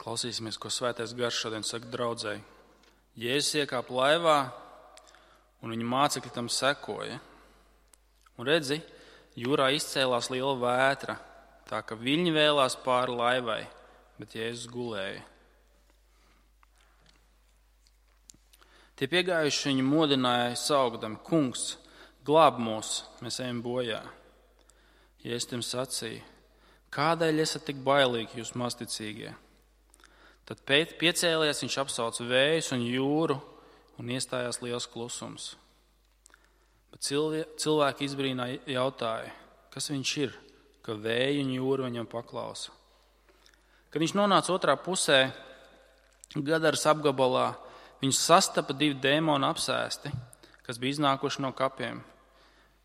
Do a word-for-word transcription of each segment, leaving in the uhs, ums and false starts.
Klausīsimies, ko Svētais Gars šodien saka draudzei. Jēzus iekāpa laivā, un viņa mācekļi tam sekoja. Un redzi, jūrā izcēlās liela vētra, tā ka viļņi vēlās pāri laivai, bet Jēzus gulēja. Tie piegājuši viņu modināja saukdami: Kungs, glāb mūs, mēs ejam bojā. Jēzus tiem sacīja: Kādēļ esat tik bailīgi, jūs mazticīgie? Tad piecēlies, viņš apsauca vējus un jūru, un iestājās liels klusums. Bet cilvēki izbrīnā jautāja, kas viņš ir, ka vēju un jūra viņam paklausa. Kad viņš nonāca otrā pusē, Gadaras apgabalā, viņš sastapa divi dēmoni apsēsti, kas bija iznākuši no kapiem.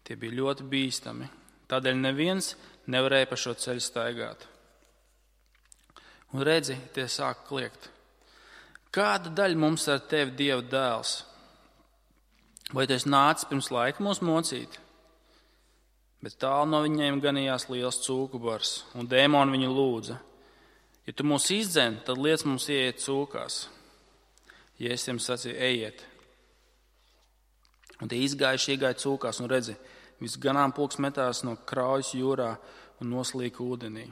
Tie bija ļoti bīstami, tādēļ neviens nevarēja pa šo ceļu staigāt. Un redzi, tie sāk kliegt: Kāda daļa mums ar tevi, Dieva dēls? Vai tu esi nācis pirms laika mūs mocīt? Bet tālu no viņiem ganījās liels cūku bars, un dēmoni viņu lūdza: Ja tu mūs izdzen, tad liec mums ieiet cūkās. Jēzus tiem sacīja: Ejiet. Un tie izgājuši, iegāja cūkās, un redzi, viss ganāmpulks metās no kraujas jūrā un noslīka ūdenī.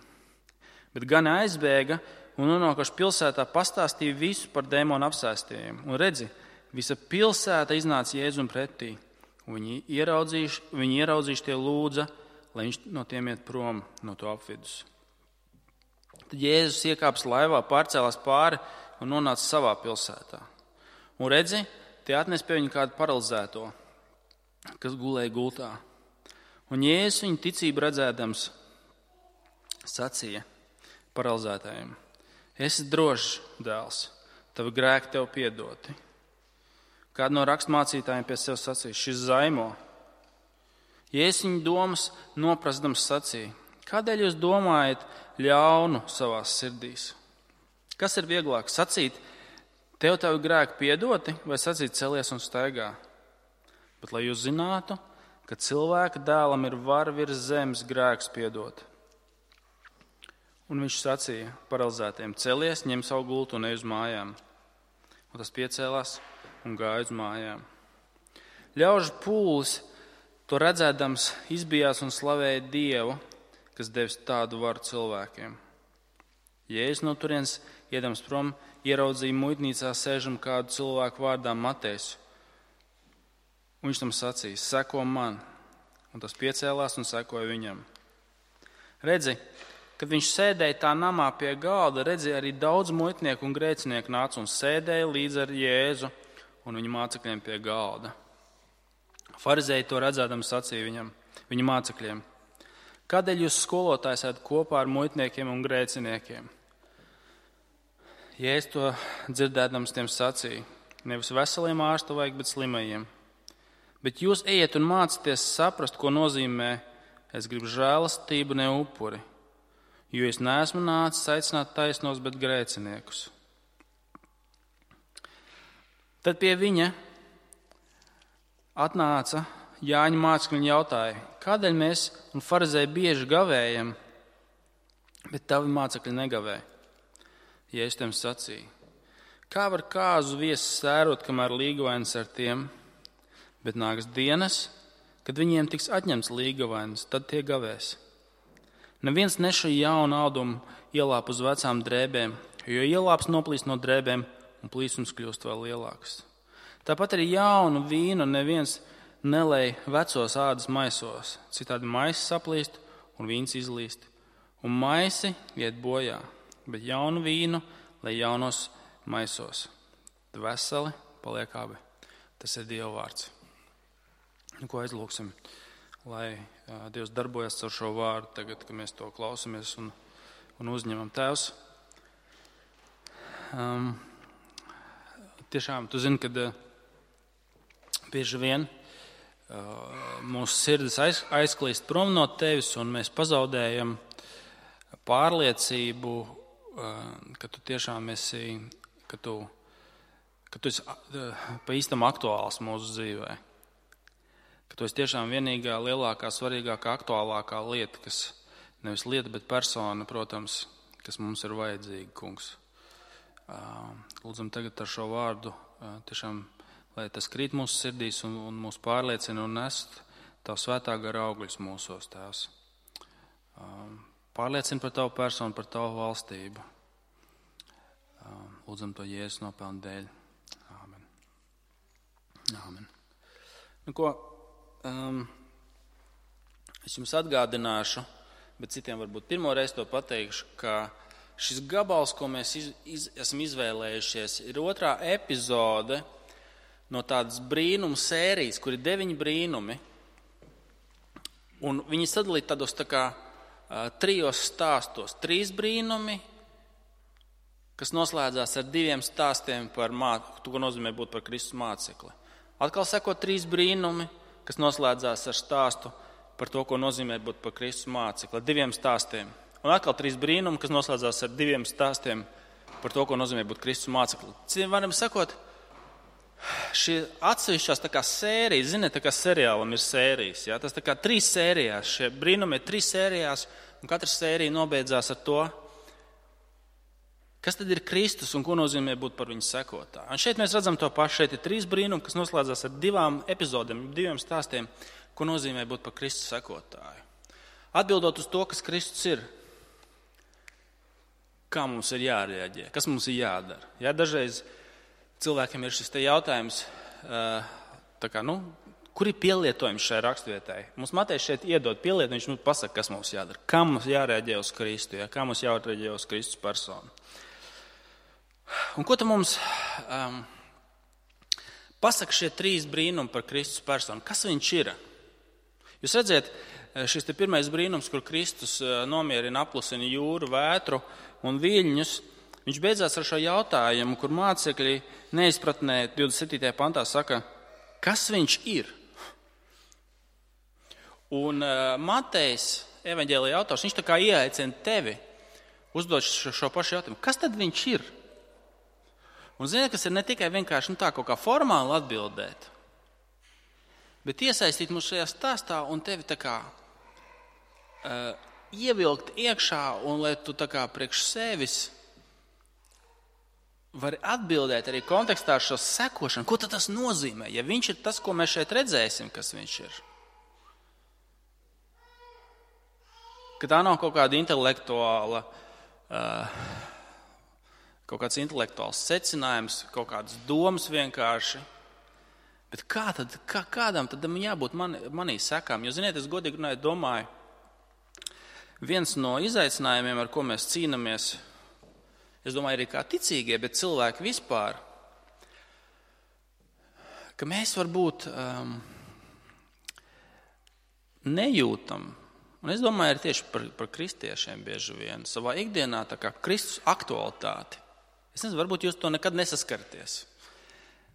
Bet gani aizbēga un nonākuši pilsētā pastāstīja visu par dēmonu apsēstiem. Un redzi, visa pilsēta iznāca Jēzum pretī. Viņi ieraudzījuši, viņi ieraudzījuši tie lūdza, lai viņš no tiem iet prom no to apvidus. Tad Jēzus iekāps laivā, pārcēlās pāri un nonāca savā pilsētā. Un redzi, tie atnes pie viņa kādu paralizēto, kas gulēja gultā. Un Jēzus viņu ticību redzēdams sacīja paralizētājiem: Esi drošs, dēls, tavi grēki tev piedoti. Kādu no rakstmācītājiem pie sevis sacīja: Šis zaimo. Jēzus viņu domas noprastams sacīja: Kādēļ jūs domājat ļaunu savās sirdīs? Kas ir vieglāk, sacīt: Tev tavi grēki piedoti, vai sacīt: Celies un staigā? Bet lai jūs zinātu, ka cilvēka dēlam ir vara virs zemes grēks piedot. Un viņš sacīja paralizētiem: Celies, ņem savu gultu un ej uz mājām. Un tas piecēlās un gāja uz mājām. Ļaužu pūlis to redzēdams izbijās un slavēja Dievu, kas devis tādu varu cilvēkiem. Jēzus no turienes iedams prom ieraudzīja muitnīcā sēžam kādu cilvēku vārdā Matejs. Un viņš tam sacīja: Seko man. Un tas piecēlās un sekoja viņam. Redzi, kad viņš sēdēja tā namā pie galda, redzēja arī daudz muitnieku un grēcinieku nāca un sēdēja līdz ar Jēzu un viņa mācekļiem pie galda. Farizēji to redzēdam sacīja viņam, viņa mācekļiem: Kādēļ jūs skolotājs ēdat kopā ar muitniekiem un grēciniekiem? Jēzus to dzirdēdams tiem sacīja: Nevis veseliem ārstu vajag, bet slimajiem. Bet jūs ejiet un mācieties saprast, ko nozīmē: Es gribu žēlastību, ne upuri. Jo es neesmu nācis aicināt taisnos, bet grēciniekus. Tad pie viņa atnāca Jāņa mācekļi un jautāja: Kādēļ mēs un farizēji bieži gavējam, bet tavi mācekļi negavē? Jēzus tiem sacīja: Kā var kāzu viesis sērot, kamēr līgavainis ar tiem, bet nāks dienas, kad viņiem tiks atņemts līgavainis, tad tie gavēs. Neviens nešu jaunu audumu ielāp uz vecām drēbēm, jo ielāps noplīst no drēbēm un plīsums kļūst vēl lielāks. Tāpat arī jaunu vīnu neviens nelej vecos ādas maisos, citādi maisi saplīst un vīns izlīst, un maisi iet bojā, bet jaunu vīnu lej jaunos maisos. Tad veseli paliek abi. Tas ir Dieva vārds. Nu, ko aizlūksim? Lai uh, Dievs darbojas ar šo vārdu tagad, kad mēs to klausamies un, un uzņemam. Tēvs, um, tiešām tu zini, kad uh, bieži vien uh, mūsu sirdis aiz, aizklīst prom no tevis un mēs pazaudējam pārliecību, uh, ka tu tiešām esi, ka tu, ka tu esi uh, pa īstam aktuāls mūsu dzīvē. Ka tu esi tiešām vienīgā, lielākā, svarīgākā, aktuālākā lieta, kas nevis lieta, bet persona, protams, kas mums ir vajadzīga, kungs. Lūdzam tagad ar šo vārdu, tiešām, lai tas krīt mūsu sirdīs un, un mūs pārliecina un nest Tavu svētā gara augļus mūsos, Tēvs. Pārliecina par Tavu personu, par Tavu valstību. Lūdzam to Jēzus nopelnu dēļ. Āmen. Āmen. Nu, ko, um, es jums atgādināšu, bet citiem varbūt pirmo reizi to pateikšu, ka šis gabals, ko mēs iz, iz, esam izvēlējušies, ir otrā epizode no tādas brīnumu sērijas, kur ir deviņi brīnumi. Un viņi sadalīti tādos tā kā uh, trijos stāstos. Trīs brīnumi, kas noslēdzās ar diviem stāstiem par mācu, to, ko nozīmē būt par Kristus mācekli. Atkal seko trīs brīnumi, kas noslēdzās ar stāstu par to, ko nozīmē būt par Kristus mācekli. Ar diviem stāstiem. Un atkal trīs brīnumi, kas noslēdzās ar diviem stāstiem par to, ko nozīmē būt Kristus mācekli. Citiem varam sakot, šie atsevišķās tā kā sērijas, ziniet, tā kā seriālam ir sērijas. Ja? Tas tā kā trīs sērijās, šie brīnumi ir trīs sērijās, un katra sērija nobeidzās ar to, kas tad ir Kristus un ko nozīmē būt par viņu sekotāju. Un šeit mēs redzam to pašu. Šeit ir trīs brīnumi, kas noslēdzās ar divām epizodēm, diviem stāstiem, ko nozīmē būt par Kristus sekotāju. Atbildot uz to, kas Kristus ir, kā mums ir jārēģē, kas mums ir jādara. Ja, dažreiz cilvēkiem ir šis te jautājums, tā kā, nu, kur ir pielietojums šai raksturvietai. Mums Matejs šeit iedod pielietojumu, viņš mums pasaka, kas mums jādara, kā mums jārēģē uz Kristu, ja, kā mums jārēģē uz Kristus personu. Un ko tad mums um, pasaka šie trīs brīnumi par Kristus personu? Kas viņš ir? Jūs redziet, šis te pirmais brīnums, kur Kristus nomierina, apklusina jūru, vētru un viļņus, viņš beidzās ar šo jautājumu, kur mācekļi neizpratnē divdesmit septītajā pantā saka, kas viņš ir? Un uh, Matejs, evaņģēlija autors, viņš tā kā ieaicina tevi uzdot šo, šo pašu jautājumu. Kas tad viņš ir? Un ziniet, kas ir ne tikai vienkārši nu, tā kaut kā formāli atbildēt, bet iesaistīt mūs šajā stāstā un tevi tā kā uh, ievilkt iekšā un lai tu tā kā priekš sevis vari atbildēt arī kontekstā ar šo sekošanu. Ko tad tas nozīmē? Ja viņš ir tas, ko mēs šeit redzēsim, kas viņš ir. Ka tā nav kaut kāda intelektuāla, uh, kaut kāds intelektuāls secinājums, kaut kādas domas vienkārši. Bet kā tad, kā, kādam tad man jābūt man, manī sekām? Jo, ziniet, es godīgi runāju, domāju, viens no izaicinājumiem, ar ko mēs cīnāmies, es domāju, arī kā ticīgie, bet cilvēki vispār, ka mēs varbūt um, nejūtam, un es domāju, arī tieši par, par kristiešiem bieži vien, savā ikdienā tā kā Kristus aktualitāti. Es nezinu, varbūt jūs to nekad nesaskarties.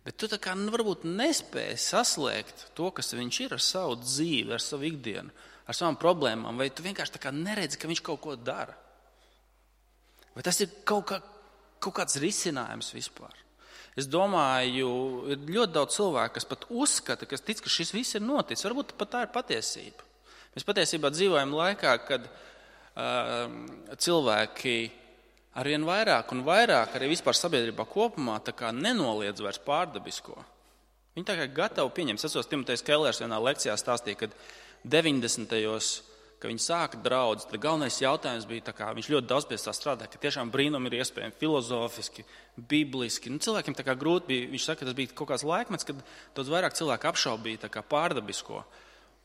Bet tu tā kā varbūt nespēji saslēgt to, kas viņš ir ar savu dzīvi, ar savu ikdienu, ar savām problēmām, vai tu vienkārši tā kā neredzi, ka viņš kaut ko dara. Vai tas ir kaut, kā, kaut kāds risinājums vispār? Es domāju, ir ļoti daudz cilvēku, kas pat uzskata, kas tic, ka šis viss ir noticis. Varbūt pat tā ir patiesība. Mēs patiesībā dzīvojam laikā, kad uh, cilvēki arvien vairāk un vairāk, arī vispār sabiedrībā kopumā, tā kā nenoliedz vairs pārdabisko. Viņi tā kā gatavi pieņemt. Es atceros, Timotejs Kellers vienā lekcijā stāstīja, kad deviņdesmitajos, kad viņi sāka draudzi, tad galvenais jautājums bija, tā kā viņš ļoti daudz pie tā strādāja, ka tiešām brīnumi ir iespējami filozofiski, bibliski. Nu, cilvēkiem tā kā grūti bija, viņš saka, tas bija kaut kāds laikmets, kad daudz vairāk cilvēku apšaubīja tā kā pārdabisko.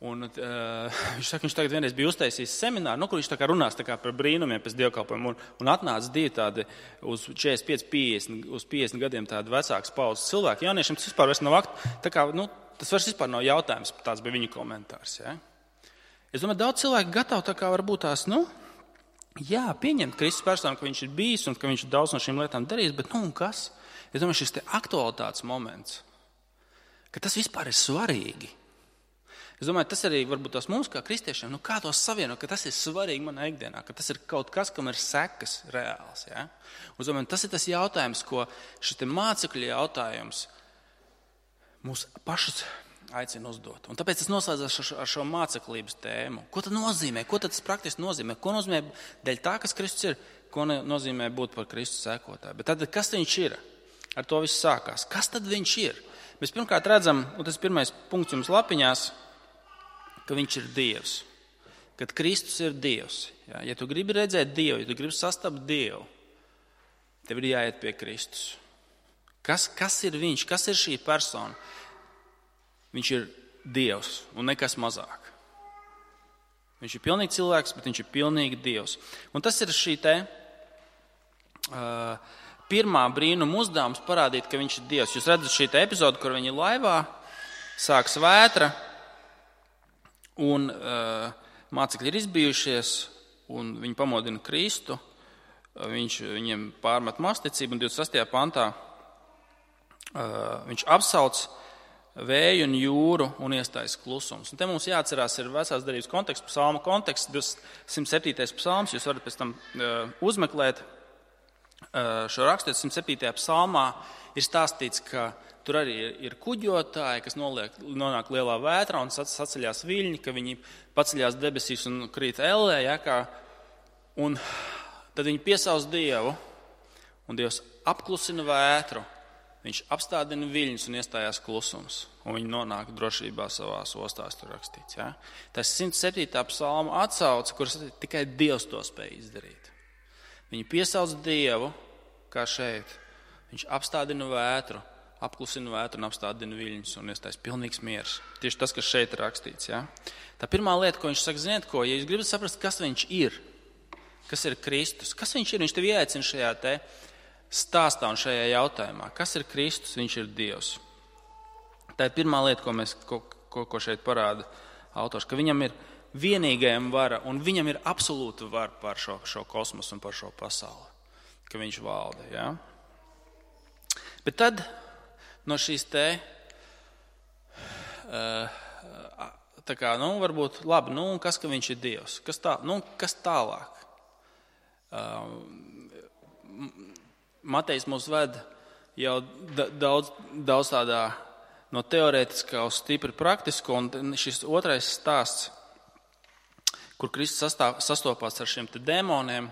Un, uh, viņš saka, viņš tagad vienreiz bija uztaisījis semināru, nu, kur viņš tā kā runās tā kā par brīnumiem pēc dievkalpojumiem, un, un atnāca divi tādi uz četrdesmit pieci, piecdesmit, uz piecdesmit gadiem tādi vecāks paudzes cilvēki. Jauniešiem tas vispār vairs nav akt, tā kā, nu, tas vairs vispār nav jautājums, tāds bija viņa komentārs, ja? Es domāju, daudz cilvēku gatavi tā kā varbūt tās, nu, jā, pieņemt Kristus personu, ka viņš ir bijis un ka viņš ir daudz no šīm lietām darījis, bet, nu, un kas? Es domāju, šis te aktualitātes moments, ka tas vispār ir svarīgi. Es domāju, tas arī varbūt tās mums kā kristiešiem, nu kā tos savienot, ka tas ir svarīgi manā ikdienā, ka tas ir kaut kas, kam ir sekas reāls. Ja? Un, domāju, tas ir tas jautājums, ko šis te mācekļu jautājums mūs pašus aicina uzdot. Un tāpēc tas noslēdzas ar šo, ar šo māceklības tēmu. Ko tad nozīmē? Ko tad tas praktiski nozīmē? Ko nozīmē dēļ tā, kas Kristus ir? Ko nozīmē būt par Kristus sekotāju? Bet tad, kas viņš ir? Ar to viss sākās. Kas tad viņš ir? Mēs pirmkārt redzam, un tas pirmais punkts jums lapiņās, ka viņš ir Dievs. Kad Kristus ir Dievs. Ja, ja tu gribi redzēt Dievu, ja tu gribi sastapt Dievu, tev ir jāiet pie Kristus. Kas, kas ir viņš? Kas ir šī persona? Viņš ir Dievs un nekas mazāk. Viņš ir pilnīgi cilvēks, bet viņš ir pilnīgi Dievs. Un tas ir šī te uh, pirmā brīnuma uzdevums parādīt, ka viņš ir Dievs. Jūs redzat šī te epizodu, kur viņi laivā, sāks vētra, un uh, mācekļi ir izbijušies, un viņi pamodina Kristu. Viņš viņiem pārmet masticību, un divdesmit sastajā pantā uh, viņš apsauc vēju un jūru un iestājas klusums. Un te mums jāatcerās ir vecās derības konteksts, psalma konteksts, simt septītais psalms. Jūs varat pēc tam uh, uzmeklēt uh, šo rakstu. simt septītajā psalmā ir stāstīts, ka tur arī ir, ir kuģotāji, kas noliek, nonāk lielā vētrā un saceļās viļņi, ka viņi paceļās debesīs un krīt ellē. Ja, kā, un tad viņi piesauc Dievu, un Dievs apklusina vētru. Viņš apstādina viļņus un iestājās klusums, un viņi nonāk drošībā savās ostās, tur rakstīts. Ja? Tas simt septītā psalma atsauce, kuras tikai Dievs to spēj izdarīt. Viņi piesauc Dievu, kā šeit. Viņš apstādina vētru, apklusina vētru un apstādina viļņus un iestājas pilnīgs miers. Tieši tas, kas šeit ir rakstīts. Ja? Tā pirmā lieta, ko viņš saka, ziniet ko, ja jūs gribat saprast, kas viņš ir, kas ir Kristus, kas viņš ir, viņš tev ieaicina šajā te stāstā un šajā jautājumā. Kas ir Kristus? Viņš ir Dievs. Tā ir pirmā lieta, ko, mēs, ko, ko, ko šeit parāda autors, ka viņam ir vienīgajam vara un viņam ir absolūta vara pār šo, šo kosmosu un par šo pasauli, ka viņš valda. Ja? Bet tad no šīs te, tā kā, nu, varbūt, labi, nu, kas, ka viņš ir Dievs? Kas, tā, nu, kas tālāk? Matejs mūs ved jau daudz, daudz tādā no teorētiskā uz stipri praktisko, un šis otrais stāsts, kur Kristus sastāv, sastopās ar šiem te dēmoniem,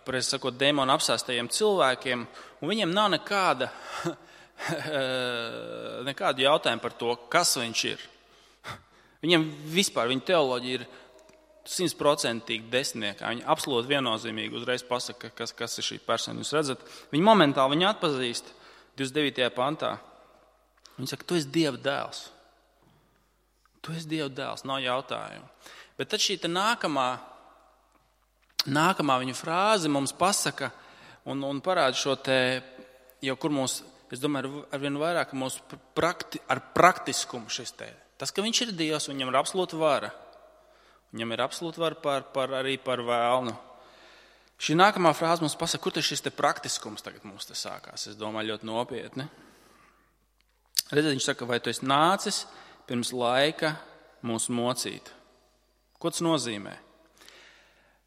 pareizi sakot, dēmonu apsēstajiem cilvēkiem, un viņiem nav nekāda, nekādu jautājumu par to, kas viņš ir. Viņiem vispār, viņa teoloģija ir simtprocentīgi desmitniekā. Viņi absolūti viennozīmīgi uzreiz pasaka, kas, kas ir šī persona. Jūs redzat, viņi momentāli viņu atpazīst divdesmit devītajā pantā. Viņi saka, tu esi Dieva dēls. Tu esi Dieva dēls, nav jautājumu. Bet tad šī te nākamā, nākamā viņa frāze mums pasaka un, un parāda šo te, jau kur mūs, es domāju, arvien vairāk mūs prakti, ar praktiskumu šis te. Tas, ka viņš ir Dievs, viņam ir absolūta vara. Viņam ir absolūti var par, par, arī par vēlnu. Šī nākamā frāze mums pasaka, kur šis te praktiskums tagad mums te sākās. Es domāju, ļoti nopietni. Redziet, viņš saka, vai tu esi nācis pirms laika mūs mocīt? Ko tas nozīmē?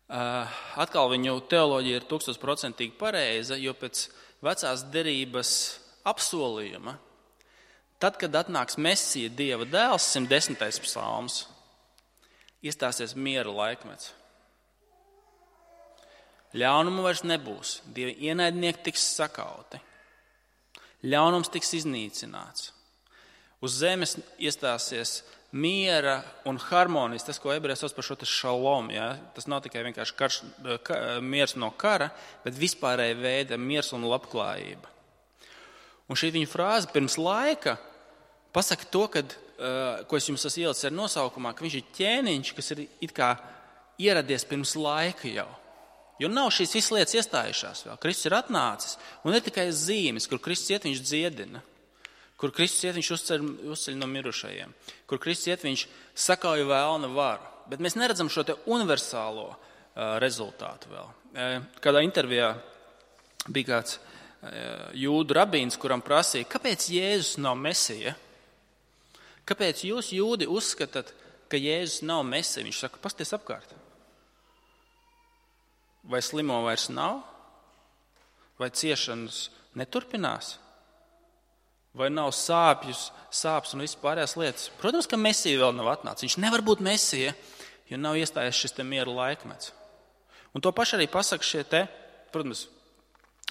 Uh, atkal viņu teoloģija ir tūkstošprocentīgi pareiza, jo pēc vecās derības apsolījuma, tad, kad atnāks Mesija, Dieva dēls, simt desmitais psalms, iestāsies miera laikmets. Ļaunumu vairs nebūs. Dievi ienaidnieki tiks sakauti. Ļaunums tiks iznīcināts. Uz zemes iestāsies miera un harmonijas, tas, ko ebreji sauc par šo šalom. Ja? Tas nav tikai vienkārši karš, ka, miers no kara, bet vispārēja veida miers un labklājība. Un šī viņa frāze pirms laika pasaka to, kad ko es jums esmu ielicis ar nosaukumā, ka viņš ir ķēniņš, kas ir it kā ieradies pirms laika jau. Jo nav šīs visas lietas iestājušās vēl. Kristus ir atnācis, un ir tikai zīmes, kur Kristus iet, viņš dziedina, kur Kristus iet, viņš uzceļ, uzceļ no mirušajiem, kur Kristus iet, viņš sakauja vēlna varu. Bet mēs neredzam šo te universālo uh, rezultātu vēl. Uh, kādā intervijā bija kāds uh, jūdu rabīns, kuram prasīja, kāpēc Jēzus nav Mesija? Kāpēc jūs, jūdi, uzskatāt, ka Jēzus nav Mesija? Viņš saka, pasties apkārt. Vai slimo vairs nav? Vai ciešanas neturpinās? Vai nav sāpjus, sāpes un viss pārējās lietas? Protams, ka Mesija vēl nav atnācis. Viņš nevar būt Mesija, jo nav iestājies šis te miera laikmets. Un to pašu arī pasaka šie te, protams,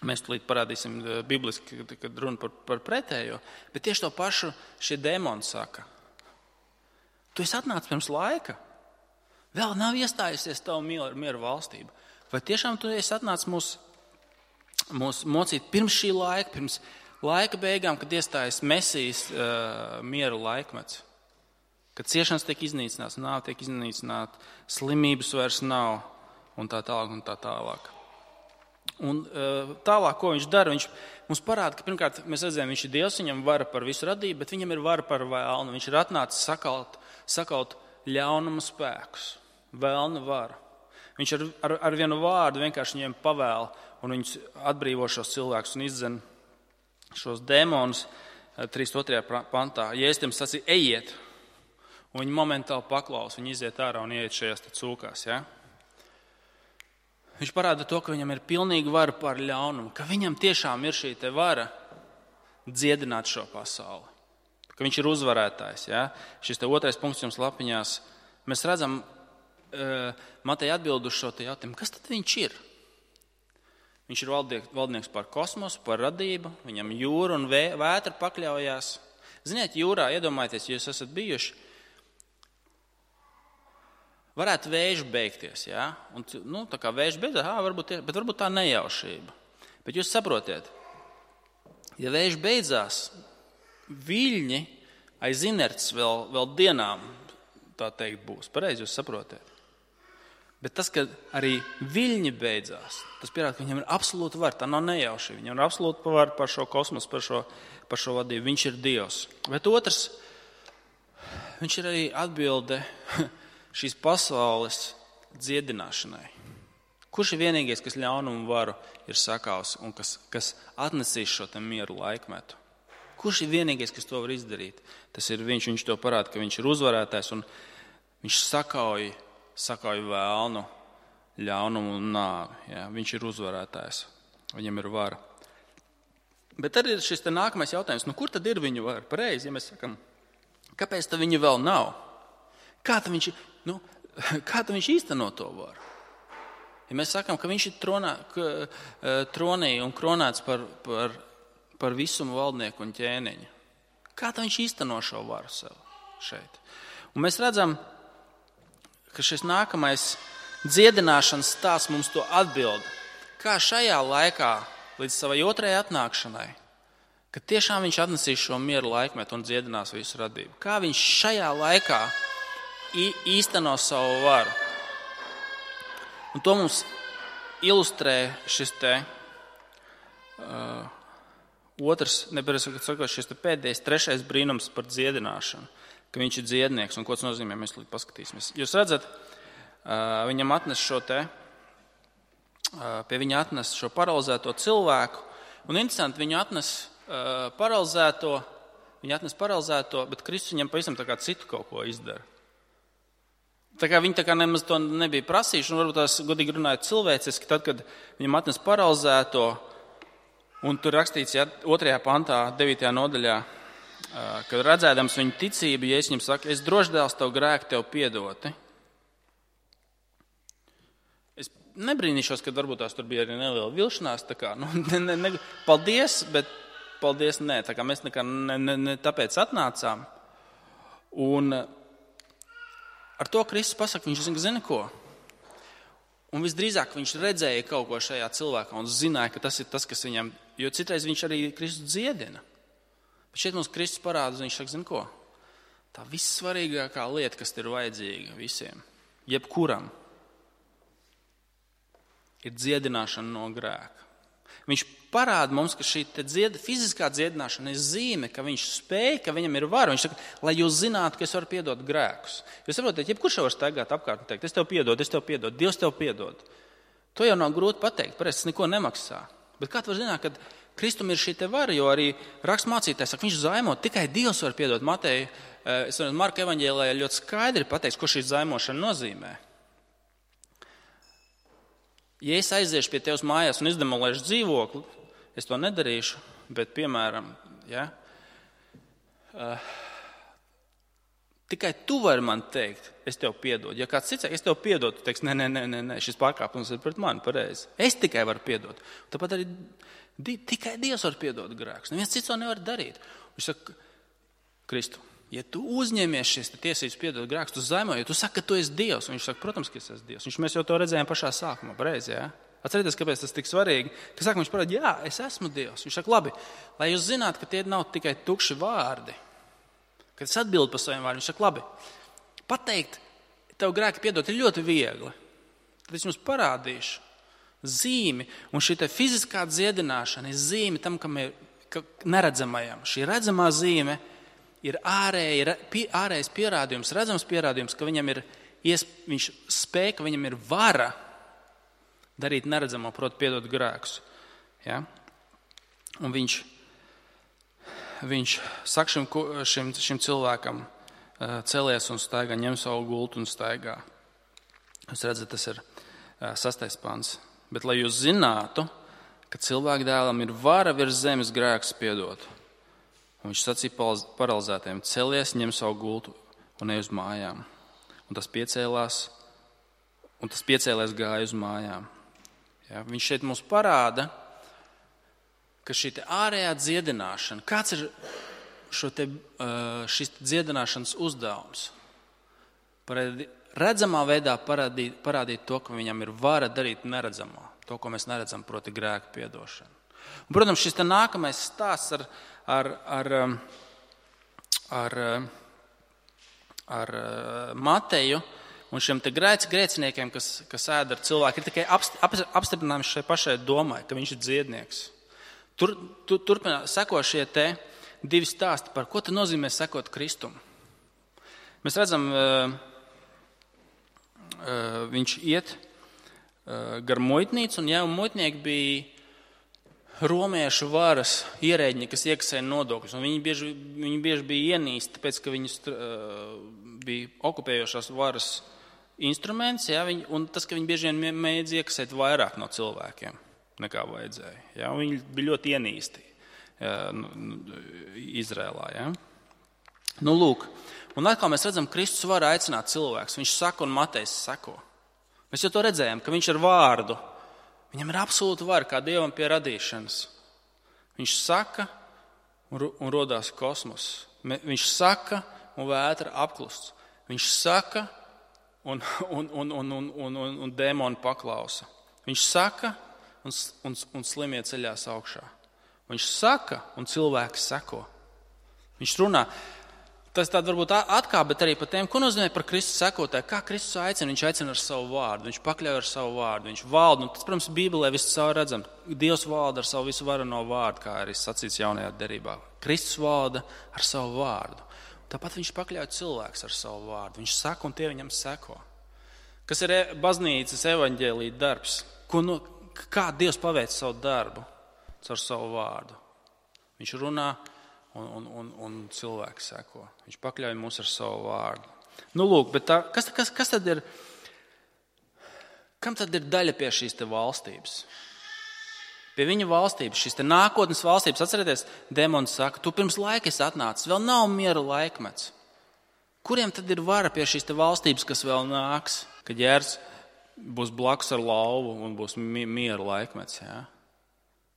mēs tulīt parādīsim bibliski, kad runa par, par pretējo, bet tieši to pašu šie dēmoni saka. Tu esi atnācis pirms laika, vēl nav iestājusies tavu mieru, mieru valstība. Vai tiešām tu esi atnācis mūs, mūs mocīt pirms šī laika, pirms laika beigām, kad iestājas Mesijas uh, miera laikmets, kad ciešanas tiek iznīcināts, nāve tiek iznīcināta, slimības vairs nav un tā tālāk un tā tālāk. Un uh, tālāk, ko viņš dara, viņš mums parāda, ka pirmkārt mēs redzējām, viņš ir Dievs, viņam vara par visu radību, bet viņam ir vara par vēlnu. Viņš ir atnācis sakaut, sakaut ļaunuma spēkus, vēlna vara. Viņš ar, ar, ar vienu vārdu vienkārši viņiem pavēl un viņus atbrīvo šos cilvēkus un izdzen šos dēmonus trīsdesmit otrajā pantā. Jēzus sacīja, ejiet, un viņi momentāli paklaus, viņi iziet ārā un ieiet šajās cūkās. Ja? Viņš parāda to, ka viņam ir pilnīga vara pār ļaunumu, ka viņam tiešām ir šī te vara dziedināt šo pasauli, ka viņš ir uzvarētājs. Ja? Šis te otrais punkts jums lapiņās. Mēs redzam uh, Mateja atbildu uz šo te jautājumu, kas tad viņš ir? Viņš ir valdnieks par kosmosu, par radību, viņam jūra un vē, vētra pakļaujās. Ziniet, jūrā, iedomājieties, ja jūs esat bijuši, varētu vējš beigties, jā? Un, nu, tā kā vējš beidzās, ā, varbūt, bet varbūt tā nejaušība. Bet jūs saprotiet, ja vējš beidzās, viļņi aiz inerces vēl, vēl dienām, tā teikt, būs. Pareizi jūs saprotiet. Bet tas, ka arī viļņi beidzās, tas pierāda, ka viņam ir absolūta vara. Tā nav nejaušība. Viņam ir absolūta vara par šo kosmosu, par šo, par šo vadību. Viņš ir Dievs. Bet otrs, viņš ir arī atbilde šīs pasaules dziedināšanai. Kurš ir vienīgais, kas ļaunumu varu ir sakaus un kas, kas atnesīs šo te mieru laikmetu? Kurš ir vienīgais, kas to var izdarīt? Tas ir viņš, viņš to parāda, ka viņš ir uzvarētājs un viņš sakauj sakauj vēlnu, ļaunumu un nāvi. Ja? Viņš ir uzvarētājs. Viņam ir vara. Bet tad ir šis te nākamais jautājums. Nu, kur tad ir viņu vara? Pareizi, ja mēs sakam, kāpēc tad viņa vēl nav? Kā tad viņš, nu, kā tad viņš īsteno to varu? Ja mēs sakam, ka viņš ir tronā, ka, tronī un kronēts par, par, par visumu valdnieku un ķēniņu. Kā tad viņš īsteno šo varu sev šeit? Un mēs redzam, ka šis nākamais dziedināšanas stāsts mums to atbild. Kā šajā laikā, līdz savai otrajai atnākšanai, ka tiešām viņš atnesīs šo mieru laikmetu un dziedinās visu radību. Kā viņš šajā laikā īsteno savu varu. Un to mums ilustrē šis te uh, otrs, nepareizi sakot, šis te pēdējais, trešais brīnums par dziedināšanu. Ka viņš ir dziednieks, un ko tas nozīmē, mēs līdz paskatīsimies. Jūs redzat, viņam atnes šo te, pie viņa atnes šo paralizēto cilvēku, un interesanti, viņu atnes paralizēto, viņa atnes paralizēto, bet Kristus viņam pavisam tā kā citu kaut ko izdara. Tā kā viņi tā kā nemaz to nebija prasījuši, un varbūt tās godīgi runājot cilvēciski, tad, kad viņam atnes paralizēto, un tur rakstīts, ja, otrajā pantā, devītajā nodaļā, kad redzēdams viņu ticību, ja es viņam saku, es droši dēls tev grēku tev piedoti. Es nebrīnīšos, kad varbūt tās tur bija arī neliela vilšanās, tā kā, nu, ne, ne, ne, paldies, bet paldies, nē, tā kā mēs nekā ne, ne, ne tāpēc atnācām. Un ar to Kristus pasaka, viņš zina, zina ko. Un visdrīzāk viņš redzēja kaut ko šajā cilvēkā un zināja, ka tas ir tas, kas viņam, jo citreiz viņš arī Kristus dziedina. Bet šeit mums Kristus parāda, viņš saka, zin ko, tā vissvarīgākā lieta, kas ir vajadzīga visiem, jebkuram, ir dziedināšana no grēka. Viņš parāda mums, ka šī dzied, fiziskā dziedināšana ir zīme, ka viņš spēj, ka viņam ir vara. Viņš saka, lai jūs zinātu, ka es varu piedot grēkus. Jūs saprotat, jebkurš var staigāt apkārt un teikt, es tev piedodu, es tev piedodu, Dievs tev piedod. To jau nav grūti pateikt, pareizi, tas neko nemaksā. Bet kā tu var zināt, kad Kristum ir šī te vara, jo arī rakstmācītājs saka, viņš zaimo, tikai Dievs var piedot. Mateja, es varu Marka evaņģēlijā ļoti skaidri pateikt, ko šī zaimošana nozīmē. Ja es aiziešu pie tevis mājās un izdemolēšu dzīvokli, es to nedarīšu, bet, piemēram, ja, uh, tikai tu vari man teikt, es tev piedodu. Ja kāds cits, es tev piedodu, tu teiks, nē, nē, nē, nē, nē, šis pārkāpums ir pret mani, pareizi. Es tikai varu piedot. Tāpat arī di, tikai Dievs var piedot grēkus. Neviens cits to nevar darīt. Viņš saka, Kristu, ja tu uzņemies šīs tiesības piedot grēkus, tu zaimoji, ja tu saki, ka tu esi Dievs. Un viņš saka, protams, ka es esmu Dievs. Viņš, mēs jau to redzējām pašā sākumā, pareizi, jā? Atcerieties, kāpēc tas tik svarīgi. Ka sākumā viņš parāda, jā, es esmu Dievs. Viņš saka, labi, lai jūs zinātu, ka tie nav tikai tukši vārdi. Kad es atbildu par saviem vārdiem, viņš saka, labi, pateikt, tev grēki piedot ir ļoti viegli. Tad es jums parādīšu zīmi, un šī te fiziskā dziedināšana ir zīme tam, kam ir ka neredzamajam. Šī redzamā zīme ir ārēji, pie, ārējais pierādījums, redzams pierādījums, ka viņam ir, iesp, viņš spēj, ka viņam ir vara darīt neredzamo, proti piedot grēkus. Ja? Un viņš Viņš saka šim, šim, šim cilvēkam, celies un staigā, ņem savu gultu un staigā. Jūs redzat, tas ir sastais pants. Bet, lai jūs zinātu, ka cilvēka dēlam ir vara virs zemes grēkus piedot. Un viņš sacīja paralizētiem, celies, ņem savu gultu un ej uz mājām. Un tas piecēlās, un tas piecēlēs gāja uz mājām. Ja? Viņš šeit mums parāda, ka šī te ārējā dziedināšana, kāds ir šo te, šis dziedināšanas uzdevums? Parādīt, redzamā veidā parādīt, parādīt to, ka viņam ir vara darīt neredzamā, to, ko mēs neredzam, proti grēku piedošanu. Un, protams, šis te nākamais stāsts ar, ar, ar, ar, ar Mateju un šiem te grēci grēciniekiem, kas, kas ēd ar cilvēku, ir tikai apstiprinājums šai pašai domai, ka viņš ir dziednieks. Tur, tur, turpinā, seko šie te divi stāsti, par ko tad nozīmē sekot Kristum. Mēs redzam, uh, uh, viņš iet uh, gar muitnīcu, un jau muitnieki bija romiešu varas ierēģi, kas iekasēja nodokļus. Un viņi, bieži, viņi bieži bija ienīsti, tāpēc, ka viņi uh, bija okupējošās varas instruments, ja, viņi, un tas, ka viņi bieži vien mēdz iekasēt vairāk no cilvēkiem nekā vajadzēja. Ja? Viņi bija ļoti ienīsti ja, Izrēlā. Ja? Nu, lūk, un atkal mēs redzam, Kristus var aicināt cilvēkus. Viņš saka un Matejs seko. Mēs jau to redzējām, ka viņš ar vārdu, viņam ir absolūta vara kā Dievam pie radīšanas. Viņš saka un, un rodās kosmos. Viņš saka un vētra apklust. Viņš saka un, un, un, un, un, un, un, un dēmoni paklausa. Viņš saka Un, un, un slimie ceļās augšā. Viņš saka, un cilvēki seko. Viņš runā. Tas tāda varbūt atkāp, bet arī par tiem, ko nozīmē par Kristus sekotāju. Kā Kristus aicina? Viņš aicina ar savu vārdu. Viņš pakļauj ar savu vārdu. Viņš valda. Un tas, protams, Bībelē viss caur redzam. Dievs valda ar savu visu varano vārdu, kā arī sacīts jaunajā derībā. Kristus valda ar savu vārdu. Tāpat viņš pakļauj cilvēks ar savu vārdu. Viņš saka, un tie viņam seko. Kas ir baznīcas evaņģēlija darbs? Ko no Kā Dievs paveic savu darbu caur savu vārdu? Viņš runā un, un, un, un cilvēki seko. Viņš pakļauj mūs ar savu vārdu. Nu, lūk, bet tā, kas, kas, kas tad ir, kam tad ir daļa pie šīs te valstības? Pie viņa valstības, šīs te nākotnes valstības. Atcerieties, demons saka, tu pirms laika esi atnācis, vēl nav miera laikmets. Kuriem tad ir vara pie šīs te valstības, kas vēl nāks, kad ģērs būs blakus ar lauvu un būs miera laikmets, jā?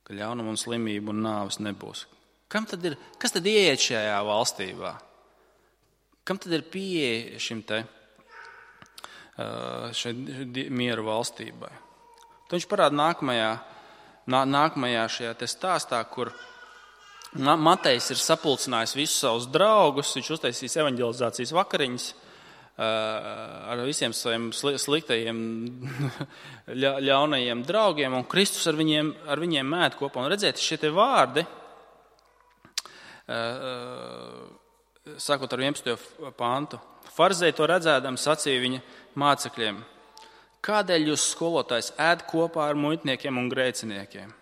Ka ļaunuma un slimība un nāves nebūs. Kam tad ir, kas tad ieiet šajā valstībā? Kam tad ir pieeja šim te šai miera valstībai? Tad viņš parāda nākamajā, nā, nākamajā šajā te stāstā, kur Matejs ir sapulcinājis visus savus draugus, viņš uztaisīs evaņģelizācijas vakariņas ar visiem saviem sliktajiem, ļaunajiem draugiem, un Kristus ar viņiem, ar viņiem mēt kopā. Un redziet, šie te vārdi, sākot ar vienpadsmito pāntu, farizēji to redzēdam sacīja viņa mācekļiem, kādēļ jūs skolotājs ēd kopā ar muitniekiem un grēciniekiem?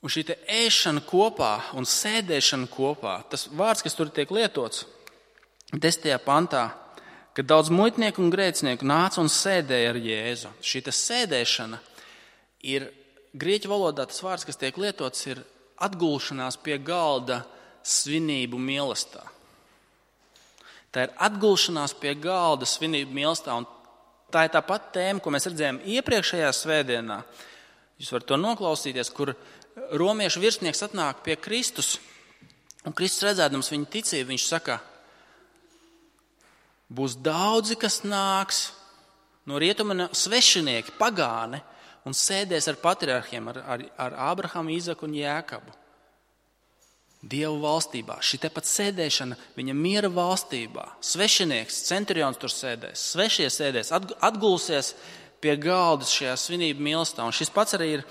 Un šī te ēšana kopā un sēdēšana kopā, tas vārds, kas tur tiek lietots, desmitajā pantā, kad daudz muitnieku un grēcinieku nāca un sēdēja ar Jēzu. Šī sēdēšana ir grieķu valodā tas vārds, kas tiek lietots, ir atgulšanās pie galda svinību mīlestībā. Tā ir atgulšanās pie galda svinību mīlestībā. Un tā ir tā pati tēma, ko mēs redzējām iepriekšējā svētdienā. Jūs varat to noklausīties, kur romiešu virsnieks atnāk pie Kristus. Un Kristus redzēdams viņa ticību, viņš saka, būs daudzi, kas nāks no rietuma svešinieki, pagāni, un sēdēs ar patriarhiem, ar, ar, ar Ābrahamu, Īzaku un Jēkabu. Dievu valstībā. Šī tepat sēdēšana viņa miera valstībā. Svešinieks, centurions tur sēdēs, svešie sēdēs, atgulsies pie galda šajā svinību mīlestībā. Un šis pats arī ir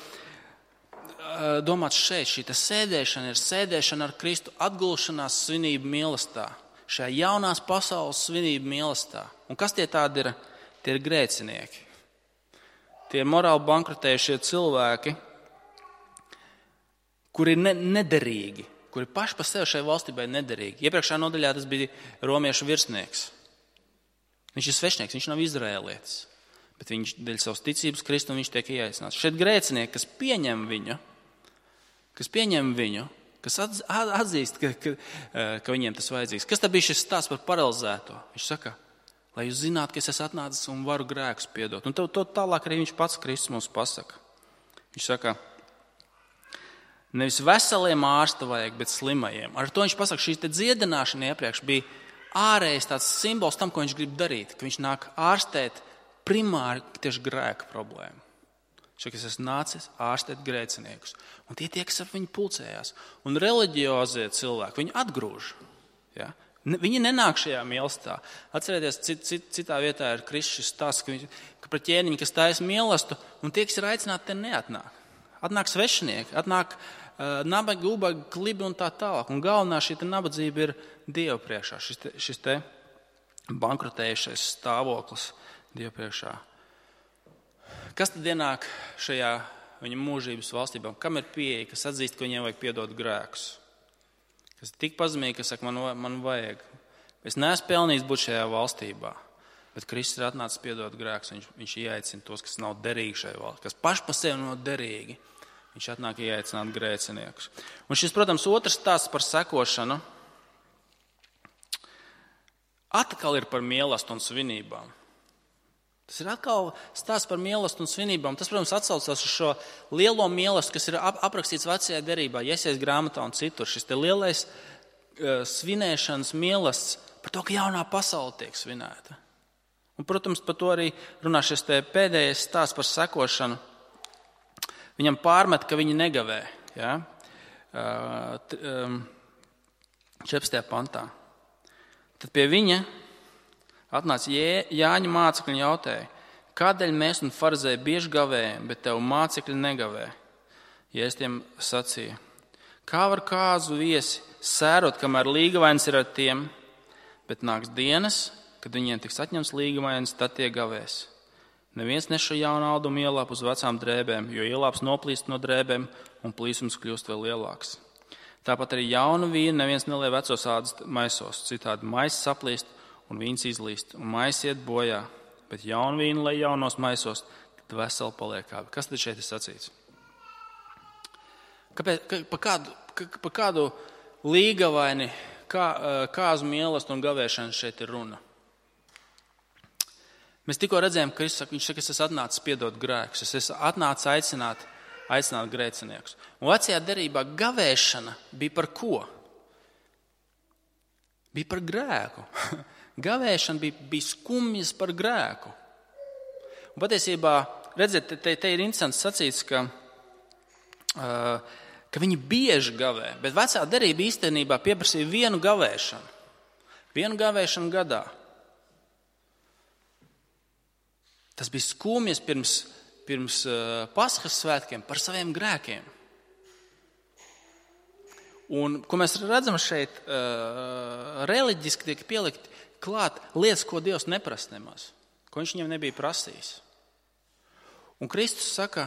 domāts šeit. Šī sēdēšana ir sēdēšana ar Kristu, atgulšanās svinību mīlestībā. Šajā jaunās pasaules svinību mīlestībā. Un kas tie tādi ir? Tie ir grēcinieki. Tie ir morāli bankrotējušie cilvēki, kuri ir ne, nederīgi, kuri paši par sevi šai valstībai nederīgi. Iepriekšējā nodaļā tas bija romiešu virsnieks. Viņš ir svešnieks, viņš nav izraēlietis, bet viņš dēļ savas ticības Kristu viņš tiek ieaicināts. Šeit grēcinieki, kas pieņem viņu, kas pieņem viņu, kas atzīst, ka, ka, ka viņiem tas vajadzīgs. Kas tad bija šis stāsts par paralizēto? Viņš saka, lai jūs zinātu, ka es esmu atnācis un varu grēkus piedot. Un to, to tālāk arī viņš pats Kristus mums pasaka. Viņš saka, nevis veseliem ārsta vajag, bet slimajiem. Ar to viņš pasaka, šī dziedināšana iepriekš bija ārējais tāds simbols tam, ko viņš grib darīt, ka viņš nāk ārstēt primāri tieši grēku problēmu. Šeit es esmu nācis ārstēt grēciniekus. Un tie tie, kas ar viņu pulcējās. Un reliģiozie cilvēki, viņi atgrūž. Ja? Viņi nenāk šajā mīlestībā. Atcerieties, cit, cit, citā vietā ir Kristus stāsts, ka, ka pret ķēniņu, kas taisa mīlestību, un tie, kas ir aicināti, te neatnāk. Atnāk svešinieki, atnāk uh, nabagi, ubagi, klibi un tā tālāk. Un galvenā šī nabadzība ir Dieva priekšā, šis te, šis te bankrotējušais stāvoklis Dieva priekšā. Kas tad ienāk šajā viņa mūžības valstībā? Kam ir pieeja, kas atzīst, ka viņiem vajag piedot grēkus? Kas ir tik pazemīgi, ka saka, man, man vajag. Es neesmu pelnījis būt šajā valstībā, bet Kristus ir atnācis piedot grēkus. Viņš, viņš ieaicina tos, kas nav derīgi šajā valstībā, kas paši pa sevi nav derīgi. Viņš atnāk ieaicināt grēciniekus. Un šis, protams, otrs stāsts par sekošanu atkal ir par mīlestību un svinībām. Tas ir atkal stāsts par mīlestību un svinībām. Tas, protams, atsaucās uz šo lielo mīlestību, kas ir aprakstīts vecajā derībā, Jesajas grāmatā un citur. Šis te lielais uh, svinēšanas mīlestība par to, ka jaunā pasaule tiek svinēta. Un, protams, par to arī runā šis te pēdējais stāsts par sekošanu. Viņam pārmet, ka viņi negavē. Ja? Uh, t, um, četrpadsmitajā pantā. Tad pie viņa atnāca Jāņa mācekļi un jautāja, kādēļ mēs un farizēji bieži gavējam, bet tev mācekļi negavē? Jēzus tiem sacīja, kā var kāzu viesi sērot, kamēr līgavains ir ar tiem, bet nāks dienas, kad viņiem tiks atņemts līgavains, tad tie gavēs. Neviens neša jaunu audumu ielāp uz vecām drēbēm, jo ielāps noplīst no drēbēm un plīsums kļūst vēl lielāks. Tāpat arī jaunu vīnu neviens nelej vecos ādas maisos, citādi maiss saplīst un vīns izlīst, un maiss iet bojā, bet jaunu vīnu lai jaunos maisos, tad veseli paliek abi. Kas tad šeit ir sacīts? Kāpēc, ka, pa, kādu, ka, pa kādu līgavaini, kā, kāzu mīlestību un gavēšanu šeit ir runa? Mēs tikko redzējām, ka viņš saka, es esmu atnācis piedot grēkus, es esmu atnācis aicināt, aicināt grēciniekus. Un vecajā derībā gavēšana bija par ko? Bija par grēku. Gavēšana bija, bija skumjas par grēku. Un patiesībā, redziet, te, te ir interesants sacīts, ka, uh, ka viņi bieži gavē, bet vecā derība īstenībā pieprasīja vienu gavēšanu. Vienu gavēšanu gadā. Tas bija skumjas pirms, pirms uh, Paskas svētkiem par saviem grēkiem. Un, ko mēs redzam šeit, uh, reliģiski tiek pielikt klāt lietas, ko Dievs neprasa nemaz, ko viņš viņam nebija prasījis. Un Kristus saka,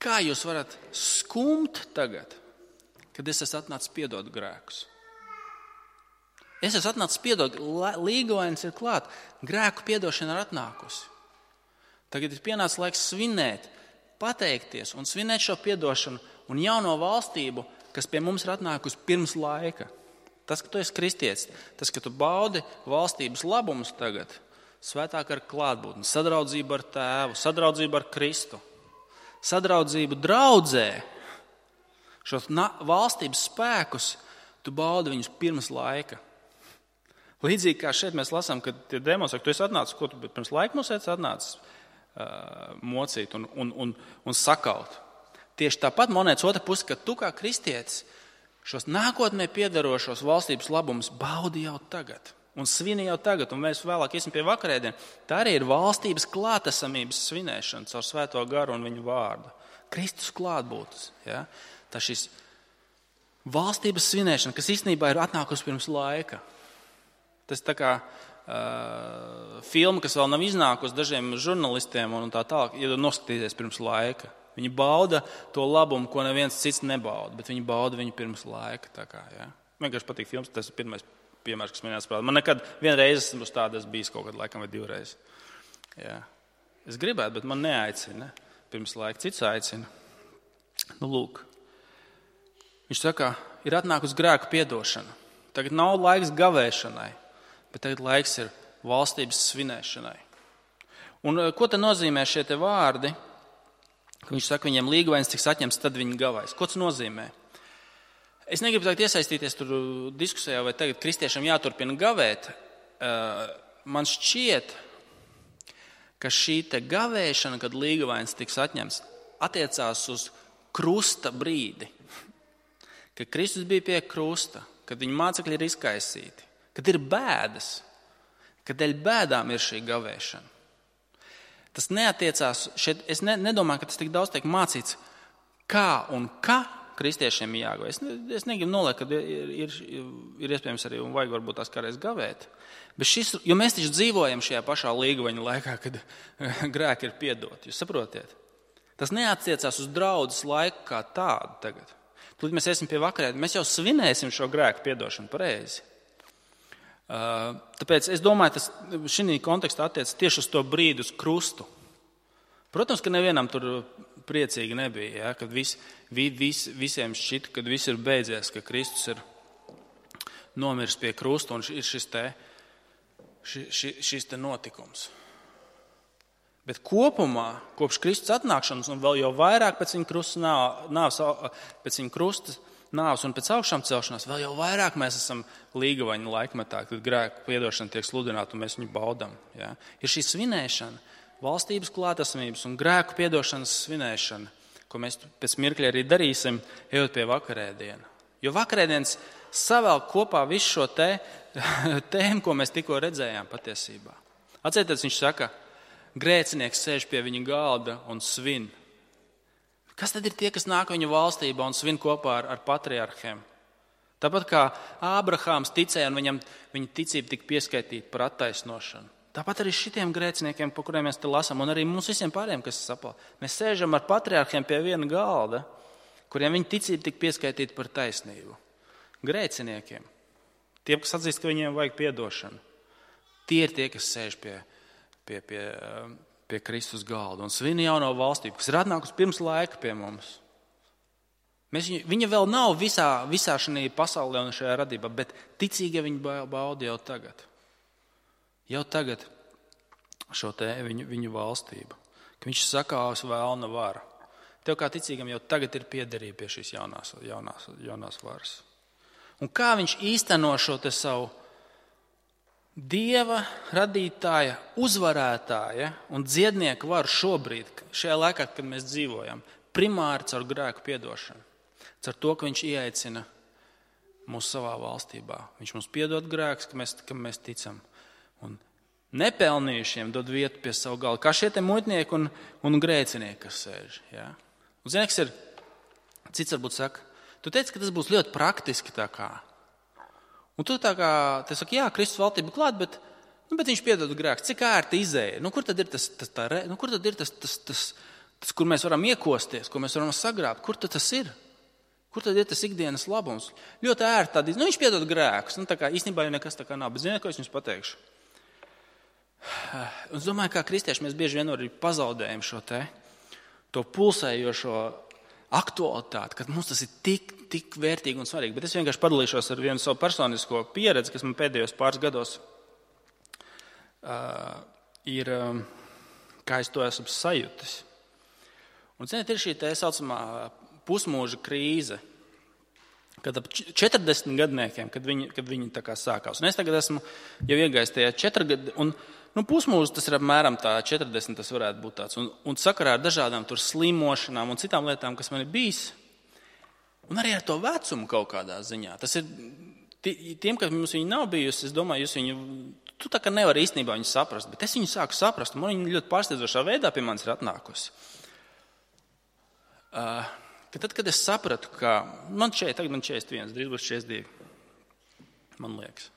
kā jūs varat skumt tagad, kad es esmu atnācis piedot grēkus? Es esmu atnācis piedot, līgavains ir klāt, grēku piedošana ir atnākusi. Tagad ir pienācis laiks svinēt, pateikties un svinēt šo piedošanu un jauno valstību kas pie mums ir atnākusi pirms laika. Tas, ka tu esi kristietis, tas, ka tu baudi valstības labumus tagad, svētāk ar klātbūtni, sadraudzību ar Tēvu, sadraudzību ar Kristu, sadraudzību draudzē, šos valstības spēkus, tu baudi viņus pirms laika. Līdzīgi kā šeit mēs lasām, kad tie demoni saka, tu esi atnācis, ko tu pirms laika mums esi atnācis uh, mocīt un, un, un, un sakaut. Tieši tāpat monētas otra puse, ka tu kā kristietis šos nākotnē piedarošos valstības labumus baudi jau tagad un svini jau tagad, un mēs vēlāk iesim pie vakarēdien. Tā arī ir valstības klātesamības svinēšana caur Svēto garu un viņu vārdu. Kristus klātbūtnes. Ja? Tā šis valstības svinēšana, kas īstenībā ir atnākusi pirms laika. Tas tā kā uh, filma, kas vēl nav iznākusi dažiem žurnalistiem un tā tālāk, ja noskatīties pirms laika. Viņi bauda to labumu, ko neviens cits nebauda, bet viņi bauda viņu pirms laika. Tā kā, ja? Man vienkārši patīk filmas, tas ir pirmais piemērs, kas man jāsaprāt. Man nekad vienreiz esmu uz tādas bijis kaut kad laikam vai divreiz. Ja? Es gribētu, bet man neaicina. Pirms laika cits aicina. Nu, lūk. Viņš saka, ir atnākusi grēku piedošana. Tagad nav laiks gavēšanai, bet tagad laiks ir valstības svinēšanai. Un ko te nozīmē šie te vārdi? Viņš saka, viņiem līgavainis tiks atņemts, tad viņi gavais. Ko tas nozīmē? Es negribu tagad iesaistīties tur diskusijā, vai tagad kristiešiem jāturpina gavēt. Man šķiet, ka šī te gavēšana, kad līgavainis tiks atņemts, attiecās uz krusta brīdi. Kad Kristus bija pie krusta, kad viņa mācekļi ir izkaisīti, kad ir bēdas, kad dēļ bēdām ir šī gavēšana. Tas neatiecās, šeit es ne, nedomāju, ka tas tik daudz tiek mācīts, kā un kā kristiešiem ir jāgavē. Es, es negribu noliekt, ka ir, ir, ir iespējams arī un vajag varbūt tās kādreiz gavēt. Bet šis, jo mēs taču dzīvojam šajā pašā līgavaņa laikā, kad grēki ir piedoti. Jūs saprotiet? Tas neatiecās uz draudzes laiku kā tādu tagad. Tūlīt mēs iesim pie vakarēd, mēs jau svinēsim šo grēku piedošanu pareizi. Uh, tāpēc es domāju, tas šī kontekstā attiec tieši uz to brīdi, uz krustu. Protams, ka nevienam tur priecīgi nebija, ja, kad vis, vi, vis, visiem šķita, kad viss ir beidzies, ka Kristus ir nomiris pie krusta un ir šis te, šis, šis te notikums. Bet kopumā, kopš Kristus atnākšanas un vēl jau vairāk pēc viņa krusta nāves, pēc viņa krusta nāves un pēc augšām celšanās, vēl jau vairāk mēs esam līgavaņa laikmetā, kad grēku piedošana tiek sludināta un mēs viņu baudam. Ja? Ir šī svinēšana, valstības klātesamības un grēku piedošanas svinēšana, ko mēs pēc mirkļa arī darīsim, ejot pie vakarēdiena. Jo vakarēdienas savēl kopā visu šo te, tēmu, ko mēs tikko redzējām patiesībā. Atcerieties, viņš saka, grēcinieks sēž pie viņa galda un svin. Kas tad ir tie, kas nāk viņa valstībā un svin kopā ar, ar patriarhiem? Tāpat kā Ābrahāms ticēja un viņam, viņa ticība tika pieskaitīta par attaisnošanu. Tāpat arī šitiem grēciniekiem, par kuriem mēs te lasām, un arī mums visiem pārējiem, kas sapal. Mēs sēžam ar patriarhiem pie viena galda, kuriem viņa ticība tika pieskaitīta par taisnību. Grēciniekiem. Tiem, kas atzīst, ka viņiem vajag piedošanu. Tie ir tie, kas sēž pie, pie, pie, pie Kristus galda un svin jauno valstību, kas ir atnākusi pirms laika pie mums. Mēs, viņa vēl nav visā, visā šajā pasaulē un šajā radībā, bet ticīgie viņa bauda jau tagad. Jau tagad šo te viņu, viņu valstību, ka viņš sakāvs vēlna vara. Tev kā ticīgam jau tagad ir piederība pie šīs jaunās, jaunās, jaunās varas. Un kā viņš īsteno šo te savu Dieva radītāja, uzvarētāja un dziednieka varu šobrīd, šajā laikā, kad mēs dzīvojam, primāri caur grēku piedošanu. Caur to, ka viņš ieaicina mūs savā valstībā. Viņš mums piedod grēkus, ka mēs, ka mēs ticam. Un nepelnījušiem dod vietu pie savu galdu. Kā šie te muitnieki un, un grēcinieki, kas sēž. Ja? Un zini, kas ir, cits varbūt saka, tu teici, ka tas būs ļoti praktiski tā kā. Un tu tā kā, te saki, jā, Kristus valstība klāt, bet, nu, bet viņš piedod grēkus. Cik ērti izēja? Nu, kur tad ir tas, tas, tā, nu, kur tad ir tas, tas, tas, tas, kur mēs varam iekosties, ko mēs varam sagrābt? Kur tad tas ir? Kur tad ir tas ikdienas labums? Ļoti ērti tādi, nu, viņš piedod grēkus. Nu, tā kā īstenībā jau nekas tā kā nav, bet ziniet, ko es jums pateikšu? Un es domāju, kā kristieši mēs bieži vien arī pazaudējam šo te, to pulsējošo aktualitāti, ka mums tas ir tik, tik vērtīgi un svarīgi. Bet es vienkārši padalīšos ar vienu savu personisko pieredzi, kas man pēdējos pāris gados uh, ir, um, kā es to esmu sajūtis. Un, ziniet, ir šī tā saucamā pusmūža krīze, kad ap četrdesmit gadniekiem, kad viņi, kad viņi tā kā sākās. Un es tagad esmu jau iegājis tajā četri gadi, un nu, pusmūžs tas ir apmēram tā četrdesmit, tas varētu būt tāds. Un, un sakarā ar dažādām tur slimošanām un citām lietām, kas man ir bijis, un arī ar to vecumu kaut kādā ziņā. Tas ir, tiem, kas mums viņi nav bijusi, es domāju, jūs viņu, tu tā kā nevari īstenībā viņu saprast, bet es viņu sāku saprast, un man viņa ļoti pārsteidzošā veidā pie manis ir atnākusi. Uh, ka tad, kad es sapratu, ka man šeit, tagad man četrdesmit viens, drīz būs četrdesmit divi, man liekas,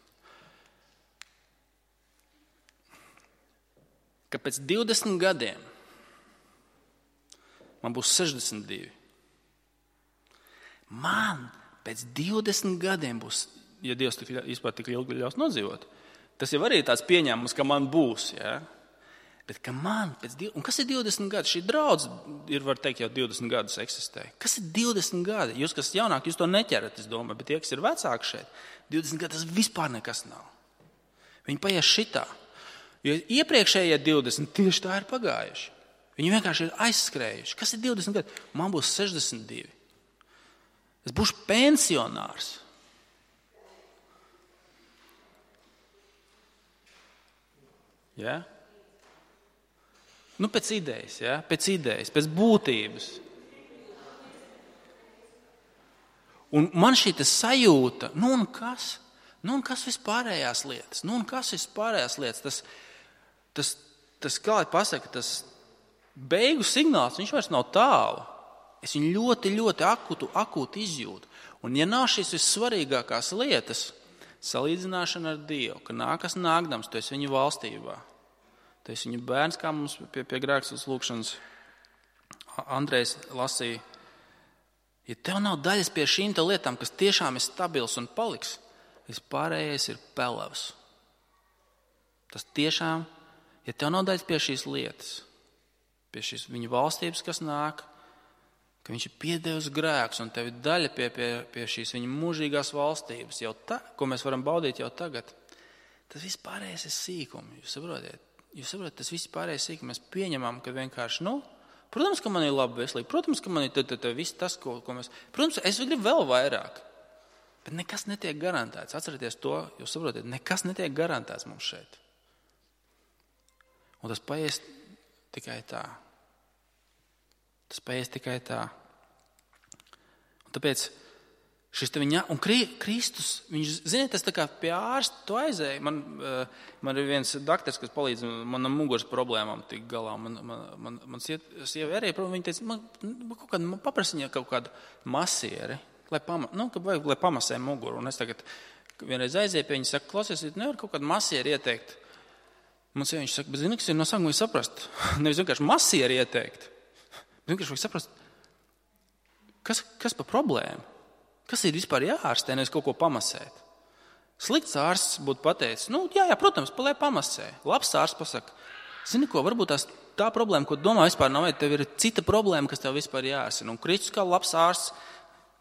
ka pēc divdesmit gadiem man būs sešdesmit divi. Man pēc divdesmit gadiem būs, ja Dievs tik, vispār tik ilgi ļaus nodzīvot, tas jau arī tāds pieņēmums, ka man būs, ja? Bet ka man pēc divdesmit, un kas ir divdesmit gadi? Šī draudz ir, var teikt, jau divdesmit gadus eksistē. Kas ir divdesmit gadi? Jūs, kas jaunāk, jūs to neķerat, es domāju, bet tie, kas ir vecāki šeit, divdesmit gadi, tas vispār nekas nav. Viņi paies šitā. Jo iepriekšējie divdesmit tieši tā ir pagājuši. Viņi vienkārši ir aizskrējuši. Kas ir divdesmit gadi? Man būs sešdesmit divi. Es būšu pensionārs. Ja? Nu, pēc idejas, ja? Pēc idejas, pēc būtības. Un man šī sajūta, nu un kas? Nu un kas vispārējās lietas? Nu un kas vispārējās lietas? Tas, tas, tas kā lai pasaka, tas beigu signāls, viņš vairs nav tālu. Es viņu ļoti, ļoti akūtu, akūtu izjūtu. Un ja nav šīs vissvarīgākās lietas, salīdzināšana ar Dievu, ka nākas nākdams, tu esi viņa valstībā. Tu esi viņa bērns, kā mums pie, pie grēkstas lūkšanas Andrejs lasīja. Ja tev nav daļas pie šīm lietām, kas tiešām ir stabils un paliks, vispārējais ir pelavs. Tas tiešām, ja tev nav daļas pie šīs lietas, pie šīs viņa valstības, kas nāk, ka viņš ir piedevis grēks un tev ir daļa pie, pie, pie šīs viņa mūžīgās valstības, jau tā, ko mēs varam baudīt jau tagad, tas vispārējais ir sīkumi, jūs saprotiet? Jūs saprotat, tas viss pārējais sīk, mēs pieņemam, ka vienkārši, nu, protams, ka man ir laba veselība, protams, ka man ir tad, tad, tad, viss tas, ko, ko mēs, protams, es gribu vēl vairāk, bet nekas netiek garantēts. Atcerieties to, jūs saprotat, nekas netiek garantēts mums šeit. Un tas paies tikai tā. Tas paies tikai tā. Un tāpēc šis te viņa, un Kristus, viņš, ziniet, tas tā kā pie ārsta to aizēja. Man, man ir viens daktars, kas palīdz manam muguras problēmām tik galā. Man, man, man, man sieva arī, viņa teica, man, kaut kādu, man paprasiņā kaut kādu masieri, lai, pama, nu, vajag, lai pamasē muguru. Un es tagad vienreiz aizēju pie viņa, saka, klausies, nevar kaut kādu masieri ieteikt. Man sieva, viņš saka, bet zini, kas ir no sākuma saprast. Nevis vienkārši masieri ieteikt. Bet vienkārši vajag saprast, kas, kas pa problēmu? Kas ir vispār jāārstē, nevis kaut ko pamasēt? Slikts ārsts būtu pateicis, nu, jā, jā, protams, lai pamasē. Labs ārsts pasaka, zini ko, varbūt tās tā problēma, ko domā vispār nav, vai tev ir cita problēma, kas tev vispār jāārstina. Un Kristus kā labs ārsts,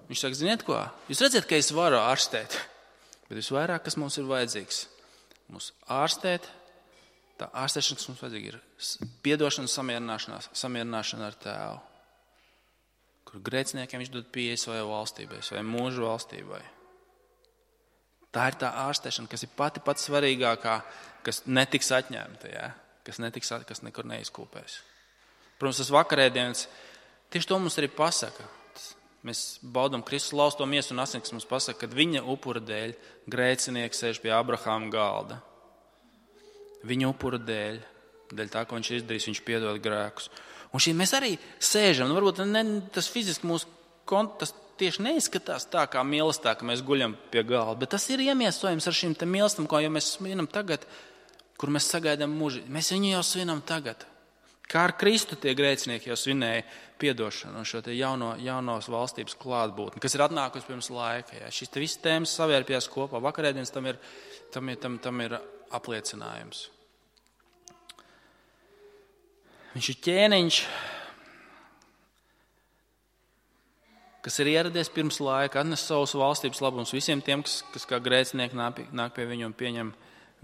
viņš saka, ziniet ko, jūs redzat, ka es varu ārstēt, bet visvairāk, kas mums ir vajadzīgs, mums ārstēt, tā ārstēšana, kas mums vajadzīga, ir piedošana, samierināšanās, samierināšana ar Tēvu. Kur grēciniekiem viņš dod pieeja savai valstībai, savai mūžu valstībai. Tā ir tā ārstēšana, kas ir pati pats svarīgākā, kas netiks atņemta, ja? kas, netiks, kas nekur neizkūpēs. Protams, tas vakarēdienas, tieši to mums arī pasaka. Mēs baudam Kristus lausto miesu un asins, kas mums pasaka, kad viņa upura dēļ grēcinieks sēž pie Abrahāma galda. Viņa upura dēļ, dēļ tā, ko viņš ir izdarījis, viņš piedod grēkus. Un šī mēs arī sēžam, nu varbūt ne, tas fiziski mūsu kontas tieši neizskatās tā kā mīlestā, ka mēs guļam pie galda, bet tas ir iemiesojums ar šīm te mīlestam, ko jau mēs svinam tagad, kur mēs sagaidām mūži. Mēs viņu jau svinam tagad. Kā ar Kristu tie grēcinieki jau svinēja piedošanu un šo te jauno, jaunos valstības klātbūtni, kas ir atnākusi pirms laika. Jā. Šis te viss tēmas savērpjās kopā. Vakarēdienas tam ir, tam ir, tam, tam ir apliecinājums. Viņš ir ķēniņš, kas ir ieradies pirms laika, atnes savus valstības labumus visiem tiem, kas, kas kā grēcinieki nāk, nāk pie viņu un pieņem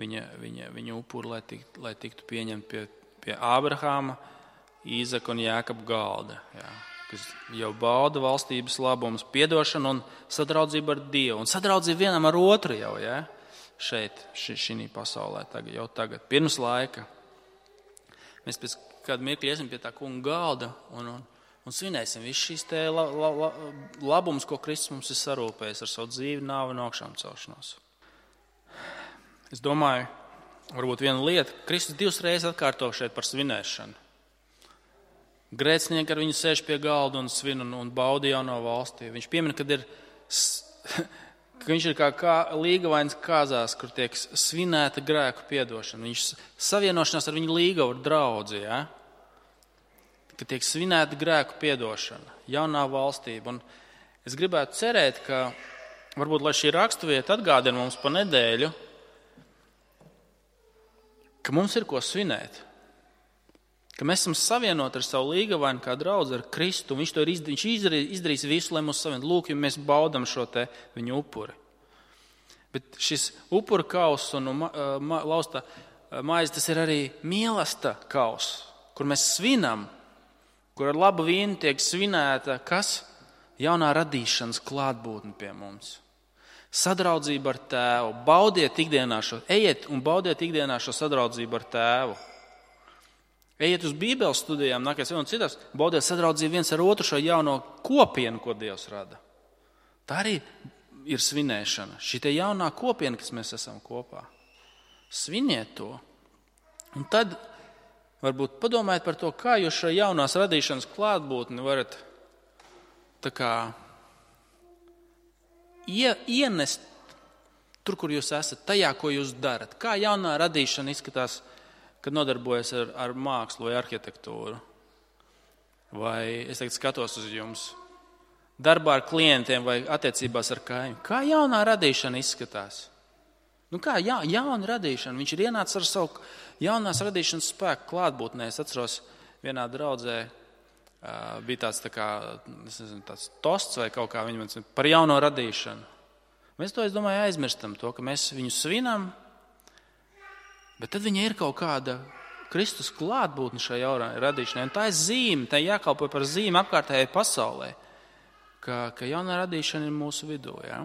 viņa, viņa, viņa upuru, lai, tikt, lai tiktu pieņemt pie, pie Ābrahāma, Īzaka un Jākaba galda, jā, kas jau bauda valstības labumus, piedošanu un sadraudzību ar Dievu. Un sadraudzību vienam ar otru jau, jā, šeit, ši, šī pasaulē, tagad, jau tagad, pirms laika. Mēs pēc kādu mirkli iesim pie tā kunga galda un, un, un svinēsim visu šīs te la, la, la, labumus, ko Kristus mums ir sarūpējis ar savu dzīvi, nāvi un augšām celšanos. Es domāju, varbūt viena lieta, Kristus divas reizes atkārto šeit par svinēšanu. Grēcinieki ar viņu sēž pie galda un svin un, un bauda jauno valsti. Viņš piemina, kad ir, ka viņš ir kā, kā līgavains kāzās, kur tiek svinēta grēku piedošana. Viņš savienošanās ar viņu līgavu draudzi, ja? Ka tiek svinēta grēku piedošana, jaunā valstība. Un es gribētu cerēt, ka varbūt, lai šī raksturvieta atgādina mums pa nedēļu, ka mums ir ko svinēt. Ka mēs esam savienoti ar savu līgavainu kā draudzi ar Kristu. Viņš to ir izdarījis, viņš izdarīs, izdarīs visu, lai mūs savienot. Lūk, ja mēs baudam šo te viņu upuri. Bet šis upura kauss un ma, ma, lausta maize, tas ir arī mīlesta kauss, kur mēs svinam, kur ar labu vīnu tiek svinēta, kas? Jaunā radīšanas klātbūtne pie mums. Sadraudzība ar tēvu. Baudiet ikdienā šo, ejiet un baudiet ikdienā šo sadraudzību ar tēvu. Ejiet uz Bībeles studijām, nākais un citās, baudiet sadraudzību viens ar otru šo jauno kopienu, ko Dievs rada. Tā arī ir svinēšana. Šī te jaunā kopiena, kas mēs esam kopā. Sviniet to. Un tad varbūt padomājiet par to, kā jūs šo jaunās radīšanas klātbūtni varat tā kā ie, ienest tur, kur jūs esat, tajā, ko jūs darat. Kā jaunā radīšana izskatās, kad nodarbojas ar, ar mākslu vai arhitektūru. Vai es tagad skatos uz jums darbā ar klientiem vai attiecībās ar kaimiņu. Kā jaunā radīšana izskatās? Nu kā ja, jauna radīšana? Viņš ir ienācis ar savu jaunās radīšanas spēku klātbūtnē. Es atceros, vienā draudzē uh, bija tāds, tā kā, es nezinu, tāds tosts vai kaut kā viņi man par jauno radīšanu. Mēs to, es domāju, aizmirstam to, ka mēs viņu svinam, bet tad viņa ir kaut kāda Kristus klātbūtne šajā jaunā radīšanai. Un tā ir zīme, tā jākalpo par zīmi apkārtējai pasaulē, ka, ka jaunā radīšana ir mūsu vidū. Ja?